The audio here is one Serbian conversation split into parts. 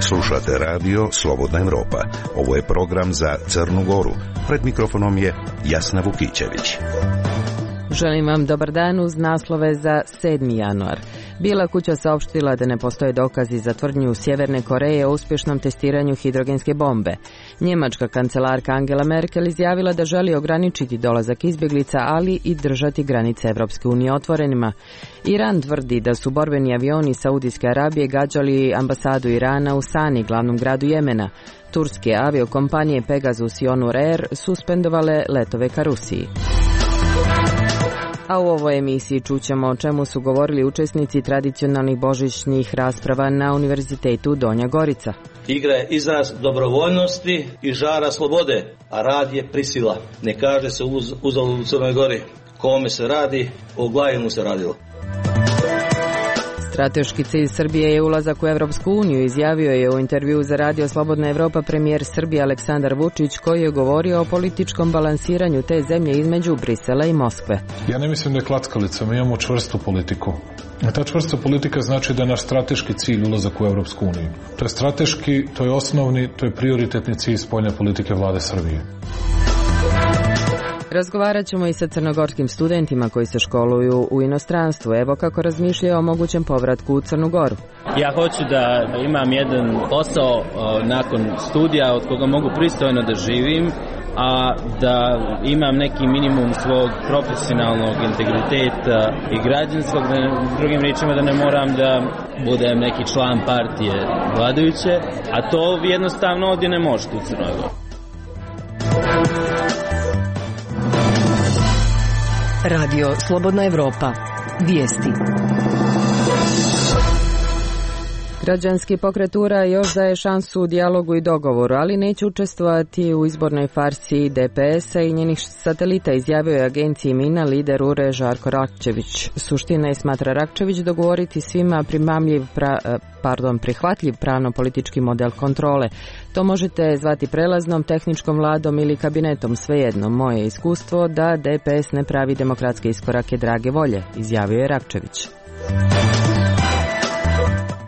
Slušate radio Slobodna Evropa. Ovo je program za Crnu Goru. Pred mikrofonom je Jasna Vukićević. Želim vam dobar dan uz naslove za 7. januar. Bijela kuća saopštila da ne postoje dokazi za tvrdnju Sjeverne Koreje o uspješnom testiranju hidrogenske bombe. Njemačka kancelarka Angela Merkel izjavila da želi ograničiti dolazak izbjeglica, ali i držati granice Evropske unije otvorenima. Iran tvrdi da su borbeni avioni Saudijske Arabije gađali ambasadu Irana u Sani, glavnom gradu Jemena. Turske aviokompanije Pegasus i Onur Air suspendovale letove ka Rusiji. A u ovoj emisiji čućemo o čemu su govorili učesnici tradicionalnih božićnih rasprava na Univerzitetu Donja Gorica. Igra je izraz dobrovoljnosti i žara slobode, a rad je prisila. Ne kaže se uzalud u Crnoj Gori. Kome se radi, o glavi mu se radilo. Strateški cilj Srbije je ulazak u Evropsku uniju, izjavio je u intervjuu za radio Slobodna Evropa premijer Srbije Aleksandar Vučić, koji je govorio o političkom balansiranju te zemlje između Brisela i Moskve. Ja ne mislim da je klackalica, mi imamo čvrstu politiku. A ta čvrsta politika znači da je naš strateški cilj ulazak u Evropsku uniju. To je strateški, to je osnovni, to je prioritetni cilj spoljne politike vlade Srbije. Razgovarat ćemo i sa crnogorskim studentima koji se školuju u inostranstvu. Evo kako razmišljaju o mogućem povratku u Crnu Goru. Ja hoću da imam jedan posao nakon studija od koga mogu pristojno da živim, a da imam neki minimum svog profesionalnog integriteta i građanskog, drugim riječima da ne moram da budem neki član partije vladajuće, a to jednostavno ovdje ne možete u Crnoj Gori. Radio Slobodna Evropa. Vijesti. Građanski pokret URA još daje šansu u dijalogu i dogovoru, ali neće učestvovati u izbornoj farsi DPS-a i njenih satelita, izjavio je agenciji Mina lider URE Žarko Rakčević. Suština je, smatra Rakčević, dogovoriti svima prihvatljiv pravno-politički model kontrole. To možete zvati prelaznom, tehničkom vladom ili kabinetom, svejedno. Moje iskustvo da DPS ne pravi demokratske iskorake drage volje, izjavio je Rakčević.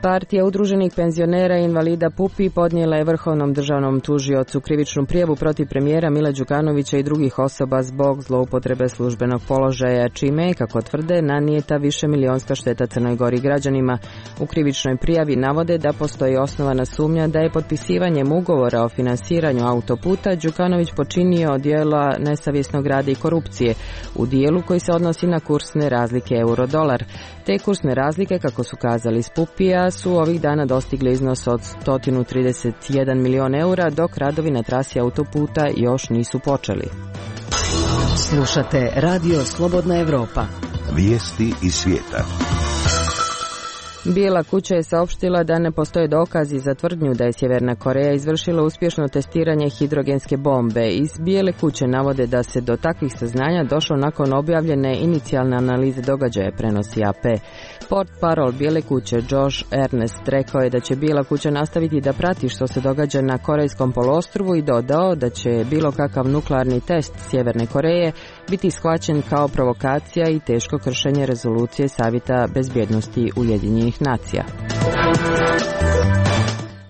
Partija udruženih penzionera i invalida PUPI podnijela je Vrhovnom državnom tužiocu krivičnu prijavu protiv premijera Mila Đukanovića i drugih osoba zbog zloupotrebe službenog položaja, čime je, kako tvrde, nanijeta višemilionska šteta Crnoj Gori građanima. U krivičnoj prijavi navode da postoji osnovana sumnja da je potpisivanjem ugovora o finansiranju autoputa Đukanović počinio djela nesavjesnog rada i korupcije u dijelu koji se odnosi na kursne razlike euro-dolar. Te kursne razlike, kako su kazali iz PUPI-a, su ovih dana dostigli iznos od 131 milion eura, dok radovi na trasi autoputa još nisu počeli. Slušate Radio Slobodna Evropa. Vijesti iz svijeta. Bijela kuća je saopštila da ne postoje dokazi za tvrdnju da je Sjeverna Koreja izvršila uspješno testiranje hidrogenske bombe. Iz Bijele kuće navode da se do takvih saznanja došlo nakon objavljene inicijalne analize događaja, prenosi AP. Portparol Bijele kuće Josh Ernest rekao je da će Bijela kuća nastaviti da prati što se događa na Korejskom poluostrvu i dodao da će bilo kakav nuklearni test Sjeverne Koreje biti shvaćen kao provokacija i teško kršenje rezolucije Savjeta bezbjednosti Ujedinjenih nacija.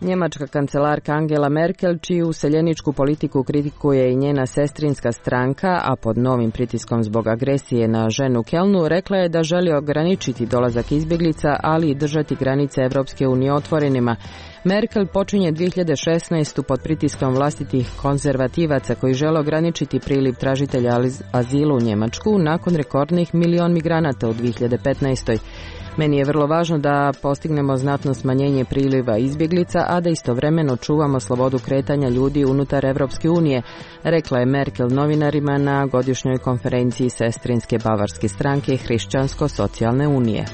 Njemačka kancelarka Angela Merkel, čiju useljeničku politiku kritikuje i njena sestrinska stranka, a pod novim pritiskom zbog agresije na ženu u Kelnu, rekla je da želi ograničiti dolazak izbjeglica, ali i držati granice Evropske unije otvorenima. Merkel počinje 2016. pod pritiskom vlastitih konzervativaca koji žele ograničiti priliv tražitelja azila u Njemačku nakon rekordnih 1 milion migranata u 2015. Meni je vrlo važno da postignemo znatno smanjenje priliva izbjeglica, a da istovremeno čuvamo slobodu kretanja ljudi unutar Evropske unije, rekla je Merkel novinarima na godišnjoj konferenciji sestrinske bavarske stranke Hrišćansko-socijalne unije.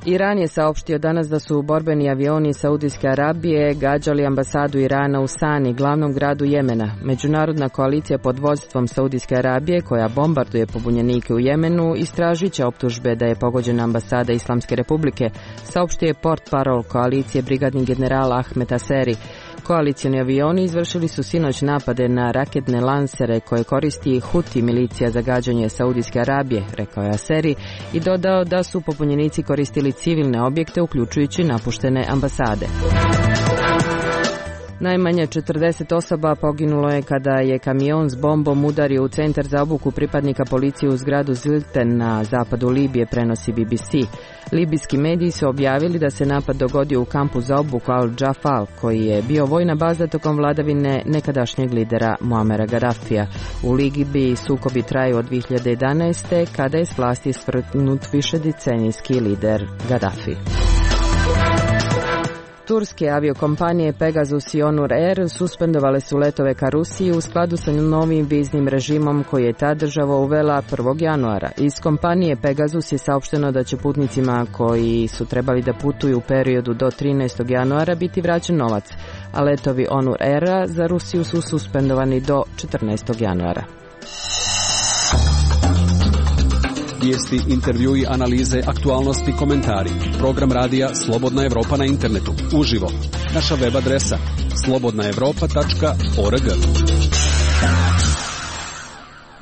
Iran je saopštio danas da su borbeni avioni Saudijske Arabije gađali ambasadu Irana u Sani, glavnom gradu Jemena. Međunarodna koalicija pod vodstvom Saudijske Arabije, koja bombarduje pobunjenike u Jemenu, istražit će optužbe da je pogođena ambasada Islamske republike, saopštio je portparol koalicije brigadni general Ahmed Aseri. Koalicioni avioni izvršili su sinoć napade na raketne lansere koje koristi Huti milicija za gađanje Saudijske Arabije, rekao je Aseri i dodao da su pobunjenici koristili civilne objekte uključujući napuštene ambasade. Najmanje 40 osoba poginulo je kada je kamion s bombom udario u centar za obuku pripadnika policije u zgradu Zilten na zapadu Libije, prenosi BBC. Libijski mediji su objavili da se napad dogodio u kampu za obuku Al-Jafal, koji je bio vojna baza tokom vladavine nekadašnjeg lidera Muamera Gaddafija. U Libiji sukobi traju od 2011. kada je s vlasti svrgnut višedecenijski lider Gaddafi. Turske aviokompanije Pegasus i Onur Air suspendovale su letove ka Rusiji u skladu sa novim viznim režimom koji je ta država uvela 1. januara. Iz kompanije Pegasus je saopšteno da će putnicima koji su trebali da putuju u periodu do 13. januara biti vraćen novac, a letovi Onur Aira za Rusiju su suspendovani do 14. januara. Vijesti, intervjui, analize, aktualnosti, komentari. Program radija Slobodna Evropa na internetu. Uživo. Naša web adresa slobodnaevropa.org.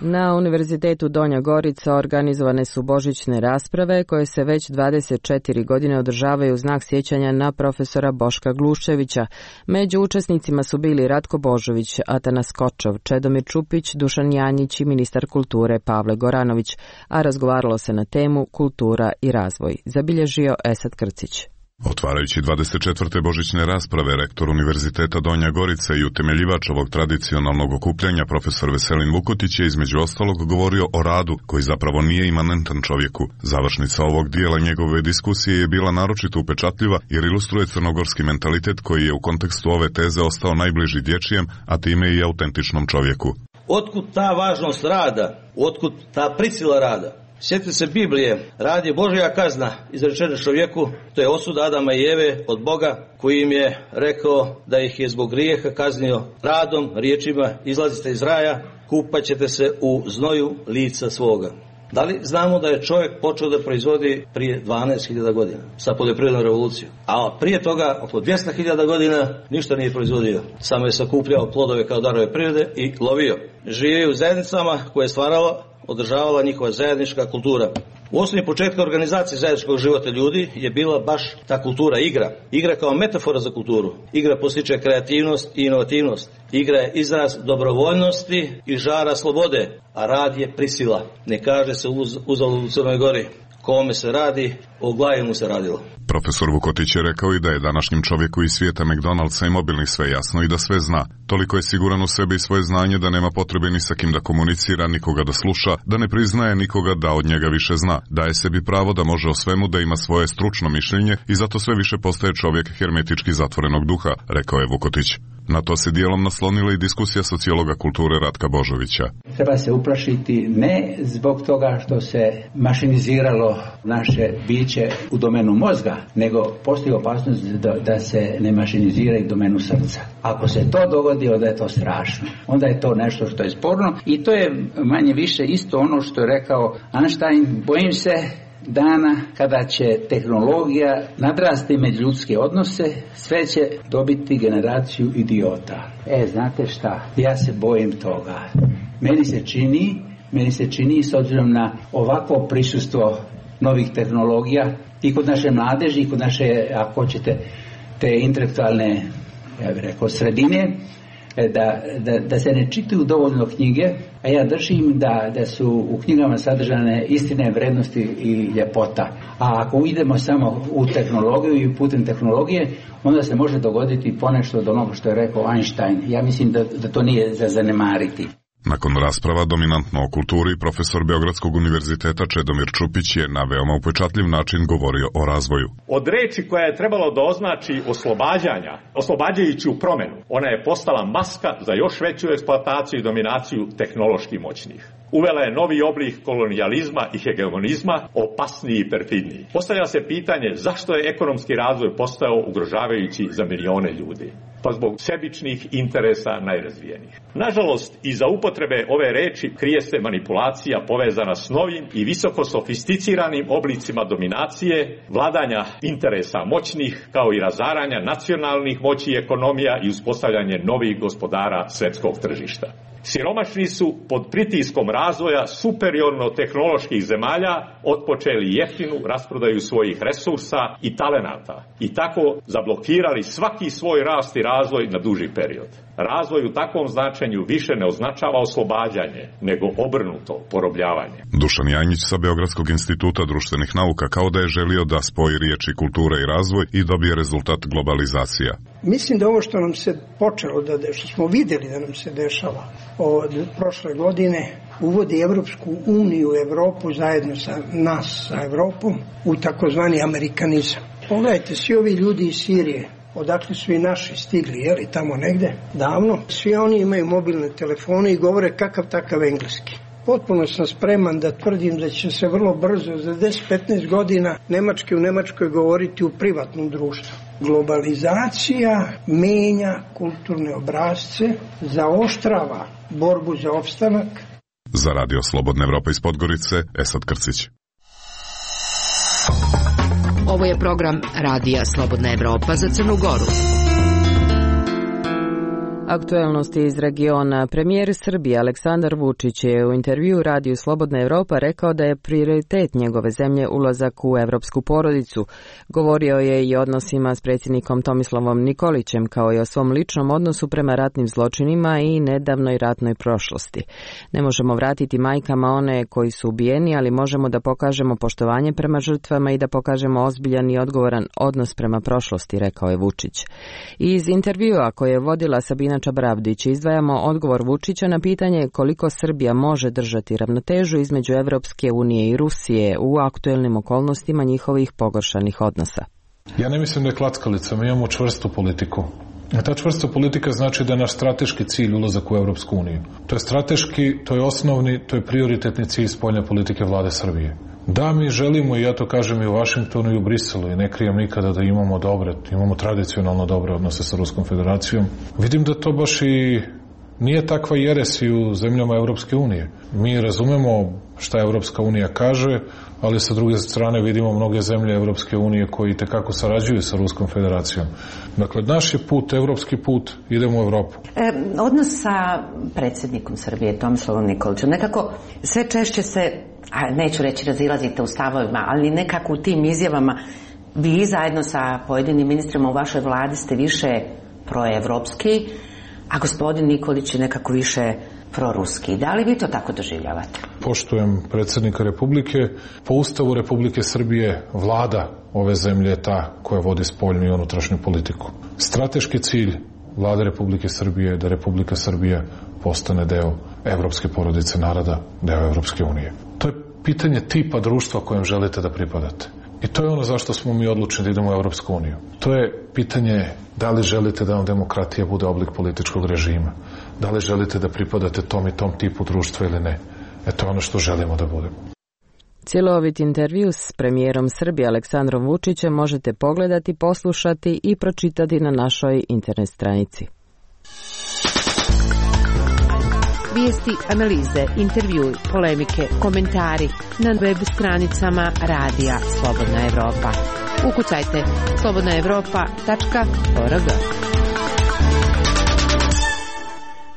Na Univerzitetu Donja Gorica organizovane su božićne rasprave koje se već 24 godine održavaju u znak sjećanja na profesora Boška Gluščevića. Među učesnicima su bili Ratko Božović, Atanas Kočov, Čedomir Čupić, Dušan Janjić i ministar kulture Pavle Goranović, a razgovaralo se na temu kultura i razvoj, zabilježio Esad Krcić. Otvarajući 24. božićne rasprave, rektor Univerziteta Donja Gorica i utemeljivač ovog tradicionalnog okupljanja, profesor Veselin Vukotić, je između ostalog govorio o radu, koji zapravo nije imanentan čovjeku. Završnica ovog dijela njegove diskusije je bila naročito upečatljiva jer ilustruje crnogorski mentalitet koji je u kontekstu ove teze ostao najbliži dječjem, a time i autentičnom čovjeku. Otkud ta važnost rada? Otkud ta prisila rada? Sjetite se Biblije, rad je Božja kazna izrečena čovjeku, to je osuda Adama i Eve od Boga, koji im je rekao da ih je zbog grijeha kaznio radom, riječima, izlazite iz raja, kupat ćete se u znoju lica svoga. Da li znamo da je čovjek počeo da proizvodi prije 12.000 godina sa poljoprivrednom revolucijom, a prije toga oko 200.000 godina ništa nije proizvodio, samo je sakupljao plodove kao darove prirode i lovio. Živio u zajednicama koje je stvarala, održavala njihova zajednička kultura. U osnovi početka organizacije zajedničkog života ljudi je bila baš ta kultura, igra. Igra kao metafora za kulturu. Igra postiče kreativnost i inovativnost. Igra je izraz dobrovoljnosti i žara slobode, a rad je prisila. Ne kaže se uzalud u Crnoj Gori. Kome se radi, o glavi mu se radilo. Profesor Vukotić je rekao i da je današnjem čovjeku iz svijeta McDonald'sa i mobilnih sve jasno i da sve zna. Toliko je siguran u sebi i svoje znanje da nema potrebe ni sa kim da komunicira, nikoga da sluša, da ne priznaje nikoga da od njega više zna. Daje sebi pravo da može o svemu, da ima svoje stručno mišljenje i zato sve više postaje čovjek hermetički zatvorenog duha, rekao je Vukotić. Na to se dijelom naslonila i diskusija sociologa kulture Ratka Božovića. Treba se uplašiti ne zbog toga što se mašiniziralo naše biće u domenu mozga, nego postoji opasnost da se ne mašinizira i domenu srca. Ako se to dogodi, onda je to strašno. Onda je to nešto što je sporno i to je manje više isto ono što je rekao Einstein. Bojim se dana kada će tehnologija nadrasti međuljudske odnose, sve će dobiti generaciju idiota. Znate šta? Ja se bojim toga. Meni se čini s obzirom na ovakvo prisustvo novih tehnologija i kod naše mladeži i kod naše, ako hoćete, te intelektualne, ja bih rekao, sredine, da se ne čitaju dovoljno knjige, a ja držim da su u knjigama sadržane istine, vrednosti i ljepota. A ako idemo samo u tehnologiju i putem tehnologije, onda se može dogoditi ponešto od onoga što je rekao Einstein. Ja mislim da to nije za zanemariti. Nakon rasprava dominantno o kulturi, profesor Beogradskog univerziteta Čedomir Čupić je na veoma upečatljiv način govorio o razvoju. Od reči koja je trebalo da označi oslobađajuću promjenu, ona je postala maska za još veću eksploataciju i dominaciju tehnološki moćnih. uvela je novi oblik kolonijalizma i hegemonizma, opasniji i perfidniji. Postavlja se pitanje zašto je ekonomski razvoj postao ugrožavajući za milione ljudi. Pa zbog sebičnih interesa najrazvijenijih. Nažalost, iza upotrebe ove reči krije se manipulacija povezana s novim i visoko sofisticiranim oblicima dominacije, vladanja interesa moćnih, kao i razaranja nacionalnih moći i ekonomija i uspostavljanje novih gospodara svetskog tržišta. Siromašni su pod pritiskom razvoja superiorno tehnoloških zemalja otpočeli jeftinu rasprodaju svojih resursa i talenata i tako zablokirali svaki svoj rast i razvoj na duži period. Razvoj u takvom značenju više ne označava oslobađanje, nego obrnuto porobljavanje. Dušan Janjić sa Beogradskog instituta društvenih nauka kao da je želio da spoji riječi kultura i razvoj i dobije rezultat globalizacija. Mislim da ovo što nam se počelo, što smo vidjeli da nam se dešava od prošle godine, uvodi Evropsku uniju, Evropu zajedno sa nas, sa Evropom, u takozvani amerikanizam. Pogledajte, svi ovi ljudi iz Sirije, odakle su i naši stigli, jeli, tamo negde, davno, svi oni imaju mobilne telefone i govore kakav takav engleski. Potpuno sam spreman da tvrdim da će se vrlo brzo, za 10-15 godina, nemački u Nemačkoj govoriti u privatnom društvu. Globalizacija menja kulturne obrasce, zaoštrava borbu za opstanak. Za Radio Slobodna Evropa iz Podgorice, Esad Krcić. Ovo je program Radija Slobodna Evropa za Crnu Goru. Aktuelnosti iz regiona. Premijer Srbije Aleksandar Vučić je u intervjuu Radiju Slobodna Evropa rekao da je prioritet njegove zemlje ulazak u evropsku porodicu. Govorio je i o odnosima s predsjednikom Tomislavom Nikolićem, kao i o svom ličnom odnosu prema ratnim zločinima i nedavnoj ratnoj prošlosti. Ne možemo vratiti majkama one koji su ubijeni, ali možemo da pokažemo poštovanje prema žrtvama i da pokažemo ozbiljan i odgovoran odnos prema prošlosti, rekao je Vučić. I iz intervjua koje je vodila Sabina Čabravdić izdvajamo odgovor Vučića na pitanje koliko Srbija može držati ravnotežu između Evropske unije i Rusije u aktuelnim okolnostima njihovih pogoršanih odnosa. Ja ne mislim da je klackalica, mi imamo čvrstu politiku. A ta čvrsta politika znači da je naš strateški cilj ulazak u Evropsku uniju. To je strateški, to je osnovni, to je prioritetni cilj spoljne politike vlade Srbije. Da, mi želimo, i ja to kažem i u Vašingtonu i u Briselu, i ne krijem nikada da imamo tradicionalno dobre odnose sa Ruskom federacijom. Vidim da to baš i nije takva jeres i u zemljama Evropske unije. Mi razumemo šta Evropska unija kaže, ali sa druge strane vidimo mnoge zemlje Evropske unije koji tekako sarađuju sa Ruskom federacijom. Dakle, naš je put, evropski put, idemo u Evropu. Odnos sa predsjednikom Srbije, Tomislavom Nikolićem, nekako sve češće se, neću reći razilazite u stavovima, ali nekako u tim izjavama vi zajedno sa pojedinim ministrima u vašoj vladi ste više proevropski, a gospodin Nikolić je nekako više proruski. Da li vi to tako doživljavate? Poštujem predsjednika Republike. Po Ustavu Republike Srbije vlada ove zemlje je ta koja vodi spoljnu i unutrašnju politiku. Strateški cilj vlade Republike Srbije je da Republika Srbija postane deo evropske porodice naroda, deo Evropske unije. To je pitanje tipa društva kojem želite da pripadate. I to je ono zašto smo mi odlučeni da idemo u Evropsku uniju. To je pitanje da li želite da vam demokratija bude oblik političkog režima. Da li želite da pripadate tom i tom tipu društva ili ne. To je ono što želimo da budemo. Cjelovit intervju s premijerom Srbije Aleksandrom Vučićem možete pogledati, poslušati i pročitati na našoj internet stranici. Vijesti, analize, intervjui, polemike, komentari na web stranicama Radija Slobodna Evropa. Ukucajte slobodnaevropa.org.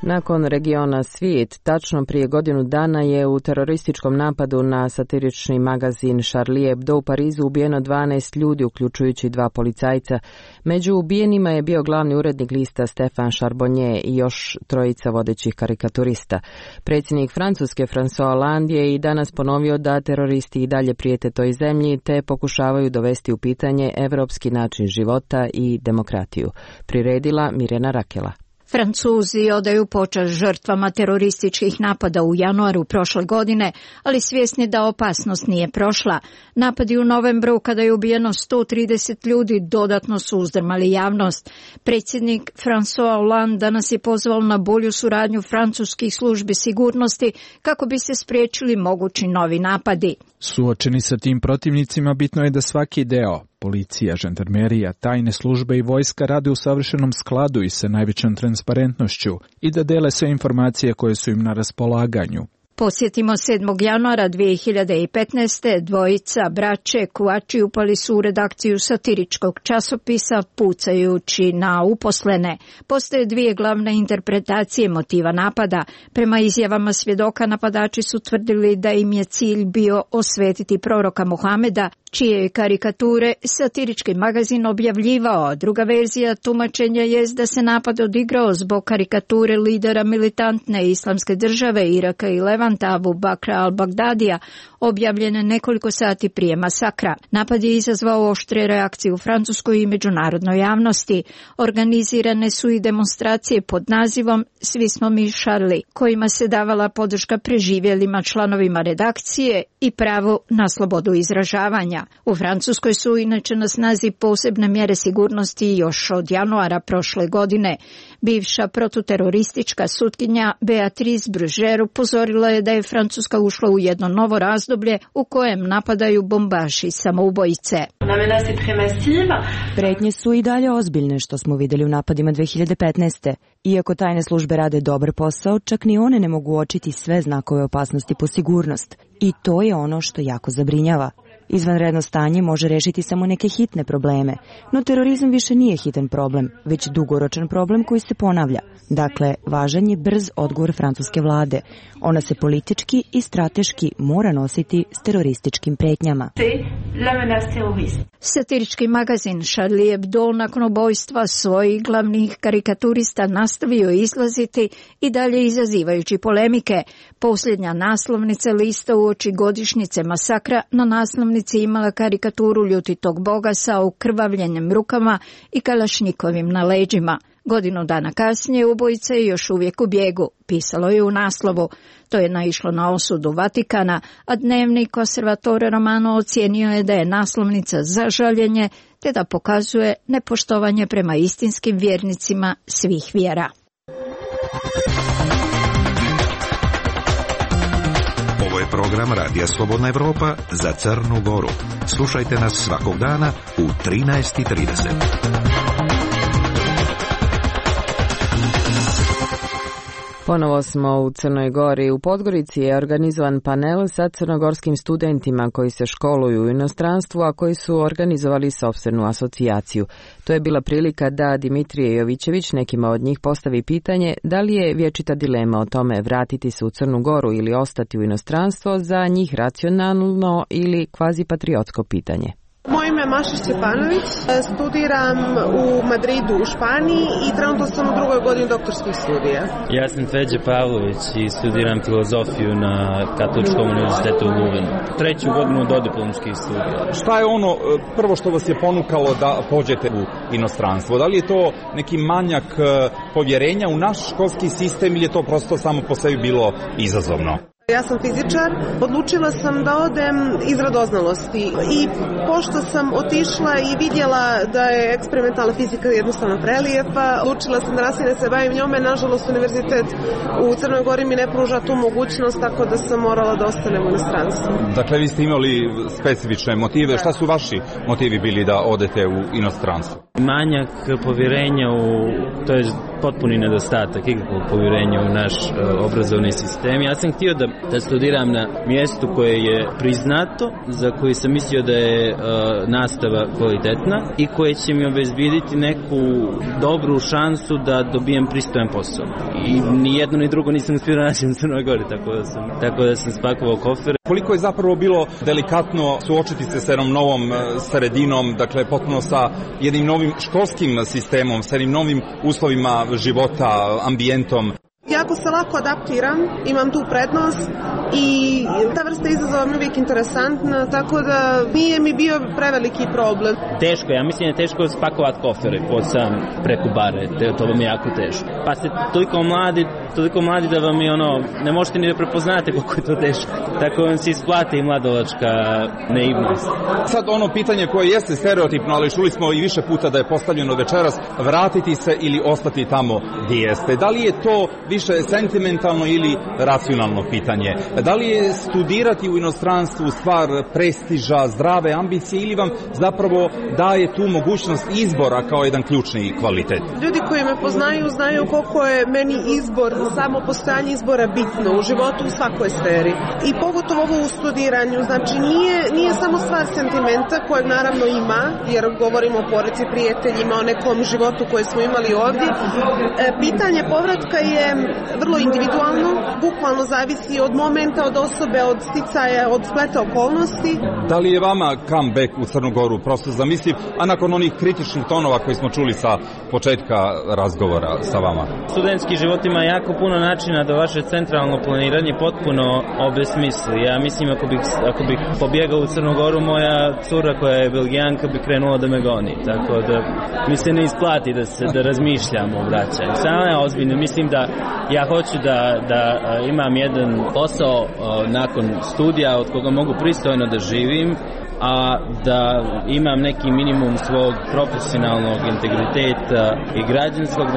Nakon regiona Svijet, tačno prije godinu dana je u terorističkom napadu na satirični magazin Charlie Hebdo u Parizu ubijeno 12 ljudi, uključujući 2 policajca. Među ubijenima je bio glavni urednik lista Stéphane Charbonnier i još 3 vodećih karikaturista. Predsjednik Francuske François Hollande je i danas ponovio da teroristi i dalje prijete toj zemlji te pokušavaju dovesti u pitanje evropski način života i demokratiju. Priredila Mirjana Rakela. Francuzi odaju počast žrtvama terorističkih napada u januaru prošle godine, ali svjesni da opasnost nije prošla. Napadi u novembru, kada je ubijeno 130 ljudi, dodatno su uzdrmali javnost. Predsjednik François Hollande danas je pozvao na bolju suradnju francuskih službi sigurnosti kako bi se spriječili mogući novi napadi. Suočeni sa tim protivnicima, bitno je da svaki deo, policija, žandarmerija, tajne službe i vojska rade u savršenom skladu i sa najvećom transparentnošću i da dele sve informacije koje su im na raspolaganju. Posjetimo 7. januara 2015. dvojica braće Kouachi upali su u redakciju satiričkog časopisa pucajući na uposlene. Postoje dvije glavne interpretacije motiva napada. Prema izjavama svjedoka, napadači su tvrdili da im je cilj bio osvetiti proroka Muhameda, čije je karikature satirički magazin objavljivao. Druga verzija tumačenja je da se napad odigrao zbog karikature lidera militantne islamske države Iraka i Levanta Abu Bakra al-Bagdadija, objavljene nekoliko sati prije masakra. Napad je izazvao oštre reakcije u Francuskoj i međunarodnoj javnosti. Organizirane su i demonstracije pod nazivom Svi smo mi Charlie, kojima se davala podrška preživjelima članovima redakcije i pravo na slobodu izražavanja. U Francuskoj su inače na snazi posebne mjere sigurnosti još od januara prošle godine. Bivša protuteroristička sutkinja Beatrice Bruger upozorila je da je Francuska ušla u jedno novo razdoblje u kojem napadaju bombaši samoubojice. Pretnje su i dalje ozbiljne, što smo vidjeli u napadima 2015. Iako tajne službe rade dobar posao, čak ni one ne mogu uočiti sve znakove opasnosti po sigurnost. I to je ono što jako zabrinjava. Izvanredno stanje može rešiti samo neke hitne probleme, no terorizam više nije hitan problem, već dugoročan problem koji se ponavlja. Dakle, važan je brz odgovor francuske vlade. Ona se politički i strateški mora nositi s terorističkim pretnjama. Satirički magazin Charlie Hebdo nakon ubojstva svojih glavnih karikaturista nastavio izlaziti i dalje izazivajući polemike. Posljednja naslovnica lista uoči godišnjice masakra na naslovnici imala karikaturu ljutitog boga sa ukrvavljenim rukama i kalašnjikovim na leđima. Godinu dana kasnije ubojica je još uvijek u bijegu, pisalo je u naslovu. To je naišlo na osudu Vatikana, a dnevnik Osservatore Romano ocijenio je da je naslovnica za žaljenje, te da pokazuje nepoštovanje prema istinskim vjernicima svih vjera. Ovo je program Radija Slobodna Evropa za Crnu Goru. Slušajte nas svakog dana u 13:30. Ponovo smo u Crnoj Gori. U Podgorici je organizovan panel sa crnogorskim studentima koji se školuju u inostranstvu, a koji su organizovali sopstvenu asocijaciju. To je bila prilika da Dimitrije Jovićević nekima od njih postavi pitanje da li je vječita dilema o tome vratiti se u Crnu Goru ili ostati u inostranstvo za njih racionalno ili kvazi patriotsko pitanje. Moje ime je Maša Stjepanović, studiram u Madridu u Španiji i trenutno sam u drugoj godini doktorskih studija. Ja sam Feđa Pavlović i studiram filozofiju na Katoličkom univerzitetu u Luvenu. Treću godinu dodiplomskih studija. Šta je ono prvo što vas je ponukalo da pođete u inostranstvo? Da li je to neki manjak povjerenja u naš školski sistem ili je to prosto samo po sebi bilo izazovno? Ja sam fizičar, odlučila sam da odem iz radoznalosti i pošto sam otišla i vidjela da je eksperimentalna fizika jednostavno prelijepa, odlučila sam da nastavim da se bavim njome. Nažalost, univerzitet u Crnoj Gori mi ne pruža tu mogućnost, tako da sam morala da ostanem u inostranstvu. Dakle, vi ste imali specifične motive. Šta su vaši motivi bili da odete u inostranstvo? Manjak povjerenja to je potpuni nedostatak ikakvog povjerenja u naš obrazovni sistem. Ja sam htio da studiram na mjestu koje je priznato, za koje sam mislio da je nastava kvalitetna i koje će mi obezbjediti neku dobru šansu da dobijem pristojan posao. I ni jedno ni drugo nisam uspio naći u Crnoj Gori, tako da sam spakovao kofer. Koliko je zapravo bilo delikatno suočiti se sa jednom novom sredinom, dakle potpuno sa jednim novim školskim sistemom, sa jednim novim uslovima života, ambijentom? Jako se lako adaptiram, imam tu prednost i ta vrsta izazova mi je uvijek interesantna, tako da nije mi bio preveliki problem. Teško, ja mislim da je teško spakovati kofere pod sam preko bare, to vam je jako teško. Pa ste toliko mladi da vam je ne možete ni da prepoznate koliko je to teško. Tako vam se isplati i mladalačka naivnost. Sad pitanje koje jeste stereotipno, ali čuli smo i više puta da je postavljeno večeras, vratiti se ili ostati tamo gdje jeste. Da li je to više sentimentalno ili racionalno pitanje? Da li je studirati u inostranstvu stvar prestiža, zdrave ambicije ili vam zapravo daje tu mogućnost izbora kao jedan ključni kvalitet? Ljudi koji me poznaju znaju koliko je meni izbor, samo postojanje izbora bitno u životu u svakoj sferi. I pogotovo ovo u studiranju, znači nije samo stvar sentimenta kojeg naravno ima, jer govorimo o porodici, prijateljima, o nekom životu koje smo imali ovdje. Pitanje povratka je vrlo individualno, bukvalno zavisi od momenta, od osobe, od sticaja, od spleta okolnosti. Da li je vama comeback u Crnu Goru prosto zamisliv, a nakon onih kritičnih tonova koji smo čuli sa početka razgovora sa vama? Studentski život ima jako puno načina da vaše centralno planiranje potpuno obesmisli. Ja mislim ako bih pobjegao u Crnu Goru, moja cura koja je Belgijanka bi krenula da me goni. Tako da mi se ne isplati da razmišljam o vraćanju. Samo ja ozbiljno mislim da ja hoću da imam jedan posao nakon studija od koga mogu pristojno da živim, a da imam neki minimum svog profesionalnog integriteta i građanskog,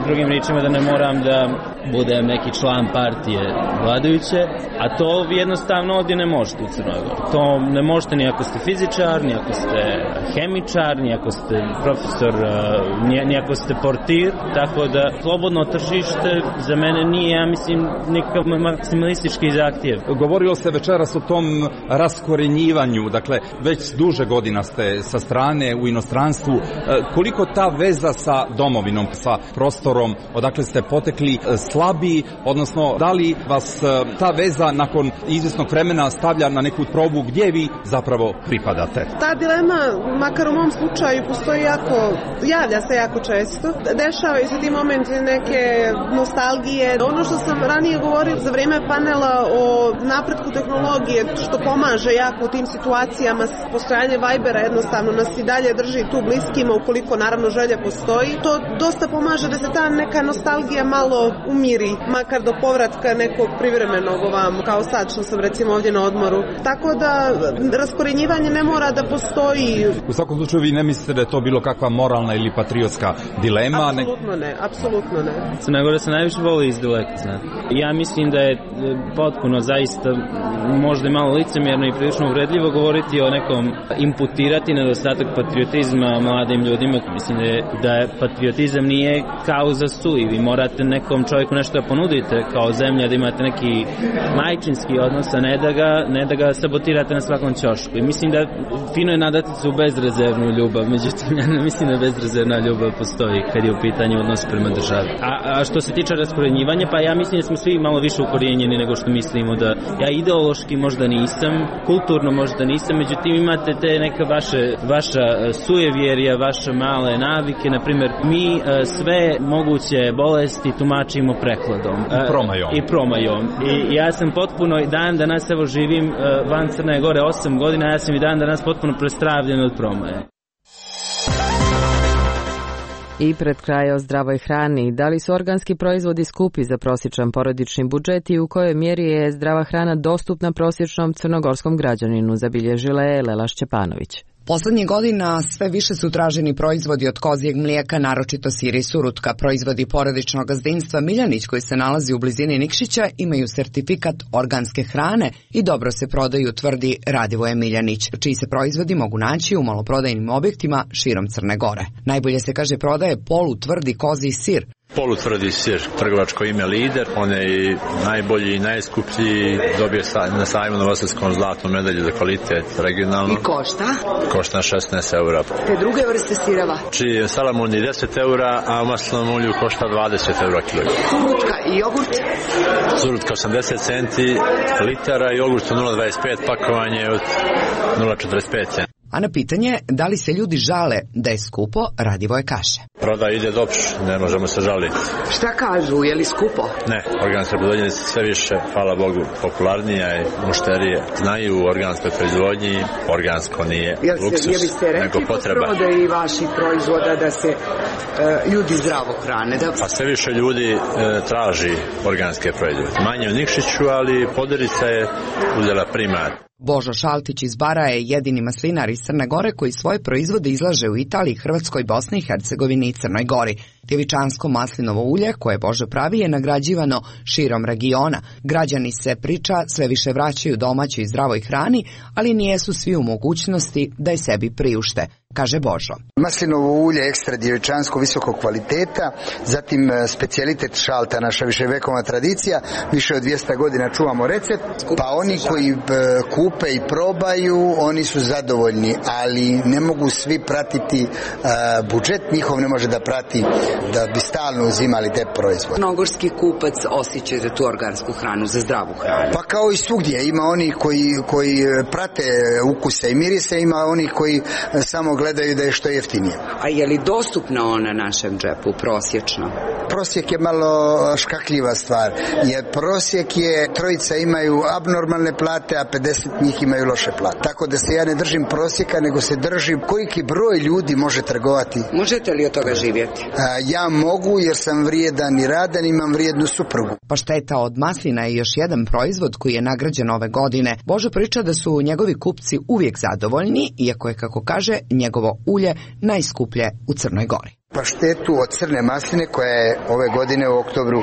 drugim riječima da ne moram da budem neki član partije vladajuće, a to jednostavno ovdje ne možete u Crnoj Gori. To ne možete ni ako ste fizičar, ni ako ste hemičar, ni ako ste profesor, ni ako ste portir, tako da slobodno tržište za mene nije, ja mislim, nikakav maksimalistički zahtjev. Govorilo se večeras o tom raskorenjivanju, dakle, već duže godina ste sa strane u inostranstvu. Koliko ta veza sa domovinom, sa prostorom, odakle ste potekli, slabi, odnosno da li vas ta veza nakon izvjesnog vremena stavlja na neku probu gdje vi zapravo pripadate? Ta dilema, makar u mom slučaju, javlja se jako često. Dešavaju se ti momenti neke nostalgije. Ono što sam ranije govorio za vrijeme panela o napretku tehnologije, što pomaže jako u tim situacijama, postojanje Vibera jednostavno nas i dalje drži tu bliskima, ukoliko naravno želja postoji. To dosta pomaže da se ta neka nostalgija malo umiri, makar do povratka nekog privremenog ovamo, kao sad što sam recimo ovdje na odmoru. Tako da raskorenjivanje ne mora da postoji. U svakom slučaju vi ne mislite da je to bilo kakva moralna ili patriotska dilema? Apsolutno ne. Crna Gora se najviše voli izdaleka, znate. Ja mislim da je potpuno zaista možda i malo licemjerno i prilično uvredljivo govoriti o nekom, imputirati nedostatak patriotizma mladim ljudima. Mislim da patriotizam nije kauza sui. Vi morate nekom čovjeku nešto da ponudite kao zemlja, da imate neki majčinski odnos, a ne da ga sabotirate na svakom ćošku. I mislim da fino je nadati se u bezrezervnu ljubav, međutim ja ne mislim da bezrezervna ljubav postoji kad je u pitanju odnos prema državi. A što se tiče raskorenjivanja, pa ja mislim da smo svi malo više ukorijenjeni nego što mislimo. Da ja ideološki možda nisam, kulturno možda nisam, međutim imate te neka vaša sujevjerja, vaše male navike, na primjer mi sve moguće bolesti tumačimo prekladom. I promajom. I ja sam potpuno dan danas, evo živim van Crne Gore 8 godina, ja sam i dan danas potpuno prestravljen od promaje. I pred kraj o zdravoj hrani. Da li su organski proizvodi skupi za prosječan porodični budžet i u kojoj mjeri je zdrava hrana dostupna prosječnom crnogorskom građaninu, zabilježila je Lela Šćepanović. Poslednjih godina sve više su traženi proizvodi od kozijeg mlijeka, naročito sir i surutka. Proizvodi porodičnog gazdinstva Miljanić, koji se nalazi u blizini Nikšića, imaju sertifikat organske hrane i dobro se prodaju, tvrdi Radivoje Miljanić, čiji se proizvodi mogu naći u maloprodajnim objektima širom Crne Gore. Najbolje se, kaže, prodaje polutvrdi kozji sir. Polutvrdi sir, trgovačko ime Lider, on je i najbolji i najskuplji, dobio na sajmu Novosadskom zlatnu medalju za kvalitet regionalno. I košta? Košta 16 eura. Te druge vrste sireva? Čiji salamon je 10 eura, a u maslinom ulju košta 20 eura kilogram. Surutka i jogurt? Surutka 80 centi litara, jogurt 0,25, pakovanje od 0,45 centi. A na pitanje da li se ljudi žale da je skupo, Radivoje kaže. Prodaja ide dobro, ne možemo se žaliti. Šta kažu, je li skupo? Ne, organska proizvodnja sve više, hvala Bogu, popularnija i mušterije znaju u organskoj proizvodnji, organsko nije luksus, nego potreba. Jel ste rekli po vaših proizvoda da se ljudi zdravo hrane? Pa sve više ljudi traži organske proizvode. Manje u Nikšiću, ali Poderica je uzela primat. Božo Šaltić iz Bara je jedini maslinar iz Crne Gore koji svoje proizvode izlaže u Italiji, Hrvatskoj, Bosni i Hercegovini i Crnoj Gori. Djevičansko maslinovo ulje koje Božo pravi je nagrađivano širom regiona. Građani se priča sve više vraćaju domaćoj i zdravoj hrani, ali nijesu svi u mogućnosti da je sebi priušte, kaže Božo. Maslinovo ulje ekstra djevičansko visokog kvaliteta, zatim specijalitet Šalta, naša viševekovna tradicija, više od 200 godina čuvamo recept, pa oni koji kupe i probaju, oni su zadovoljni, ali ne mogu svi pratiti budžet, njihov ne može da prati da bi stalno uzimali te proizvode. Crnogorski kupac osjeća za tu organsku hranu, za zdravu hranu. Pa kao i svugdje, ima oni koji prate ukuse i mirise, ima oni koji samo gledaju da je što jeftinije. A je li dostupna ona našem džepu prosječno? Prosjek je malo škakljiva stvar, jer prosjek je, trojica imaju abnormalne plate, a 50 njih imaju loše plate. Tako da se ja ne držim prosjeka, nego se držim koliki broj ljudi može trgovati. Možete li od toga živjeti? Ja mogu, jer sam vrijedan i radan, imam vrijednu suprugu. Pašteta od maslina je još jedan proizvod koji je nagrađen ove godine. Božo priča da su njegovi kupci uvijek zadovoljni, iako je, kako kaže, njegovo ulje najskuplje u Crnoj Gori. Paštetu od crne masline koja je ove godine u oktobru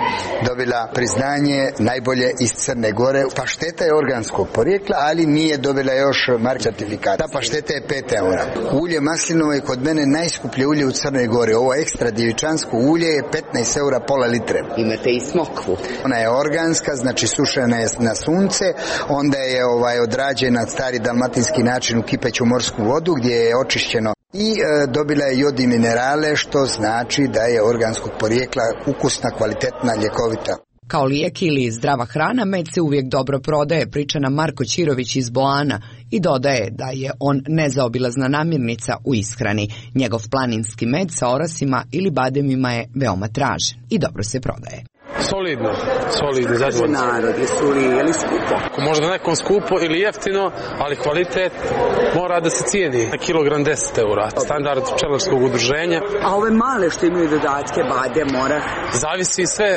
dobila priznanje najbolje iz Crne Gore. Pašteta je organskog porijekla, ali nije dobila još mark certifikat. Ta pašteta je 5 eura. Ulje maslinovo je kod mene najskuplje ulje u Crnoj Gori. Ovo ekstra djevičansko ulje je 15 eura pola litre. Imate i smokvu. Ona je organska, znači sušena je na sunce, onda je odrađena stari dalmatinski način u kipeću morsku vodu gdje je očišćeno i dobila je jod i minerale, što znači da je organskog porijekla, ukusna, kvalitetna, ljekovita. Kao lijek ili zdrava hrana, med se uvijek dobro prodaje, priča nam Marko Ćirović iz Boana i dodaje da je on nezaobilazna namirnica u ishrani. Njegov planinski med sa orasima ili bademima je veoma tražen i dobro se prodaje. Solidno, zadovoljno. Narod, je li skupo? Možda nekom skupo ili jeftino, ali kvalitet mora da se cijeni. Na kilogram 10 eura, standard pčelarskog udruženja. A ove male što imaju dodatke, bade, mora? Zavisi sve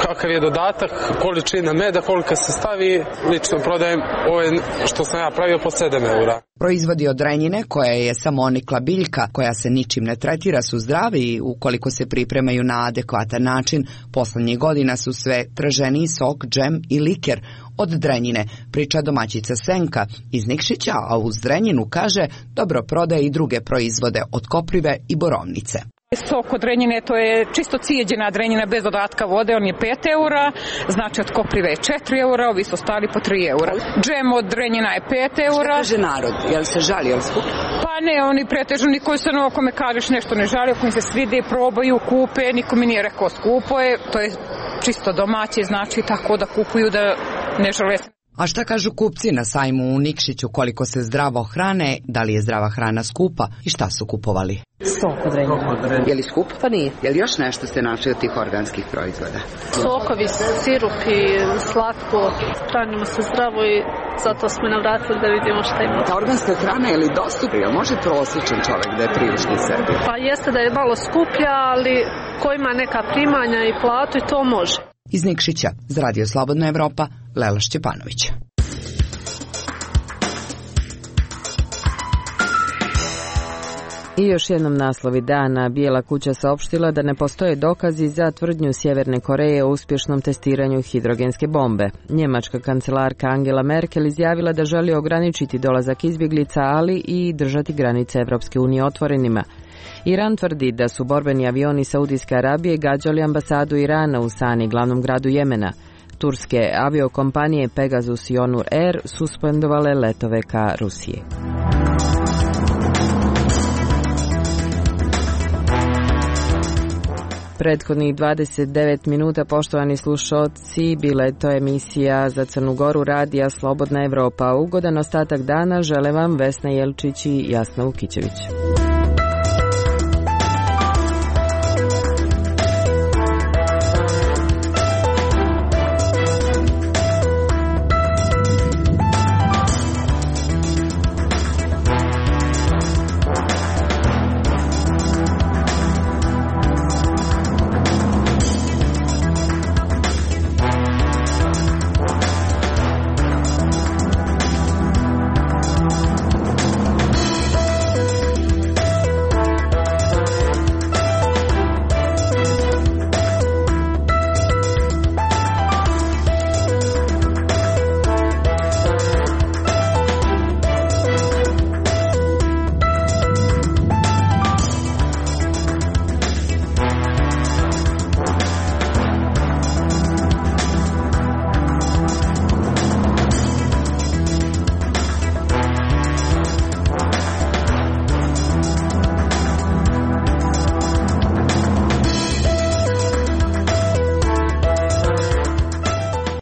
kakav je dodatak, količina meda, koliko se stavi. Lično prodajem ove što sam ja pravio po 7 eura. Proizvodi od renjine, koja je samonikla biljka, koja se ničim ne tretira, su zdravi i ukoliko se pripremaju na adekvatan način, poslednjih godina su sve traženiji sok, džem i liker od drenjine, priča domaćica Senka iz Nikšića, a uz drenjinu, kaže, dobro prodaje i druge proizvode od koprive i borovnice. Sok od drenjine, to je čisto cijeđena drenjina bez dodatka vode, on je 5 eura, znači od koprive je 4 eura, ovi su stali po 3 eura. Džem od drenjina je 5 eura. Šta kaže narod? Jel se žali, jel skupo? Pa ne, oni pretežno, niko se na kome kažeš nešto ne žali, ako im se svide, probaju, kupe, niko mi nije rekao skupo je, to je čisto domaće, znači tako da kupuju da ne žele. A šta kažu kupci na sajmu u Nikšiću, koliko se zdravo hrane, da li je zdrava hrana skupa i šta su kupovali? Sok od drenjina. Je li skup? Pa nije. Je li još nešto ste našli od tih organskih proizvoda? Sokovi, sirupi, slatko, hranimo se zdravo i zato smo navratili da vidimo šta ima. Ta organska hrana je li dostupna? Može prosječan čovjek da je priušti sebi? Pa jeste da je malo skuplja, ali ko ima neka primanja i platu i to može. Iz Nikšića, za Radio Slobodna Evropa, Lela Šćepanović. I još jednom naslovi dana. Bijela kuća saopštila da ne postoje dokazi za tvrdnju Sjeverne Koreje o uspješnom testiranju hidrogenske bombe. Njemačka kancelarka Angela Merkel izjavila da želi ograničiti dolazak izbjeglica, ali i držati granice Evropske unije otvorenima. Iran tvrdi da su borbeni avioni Saudijske Arabije gađali ambasadu Irana u Sani, glavnom gradu Jemena. Turske aviokompanije Pegasus i Onur Air suspendovale letove ka Rusiji. Prethodnih 29 minuta, poštovani slušalci, bila je to emisija za Crnu Goru radija Slobodna Evropa. Ugodan ostatak dana žele vam Vesna Jelčić i Jasna Vukićević.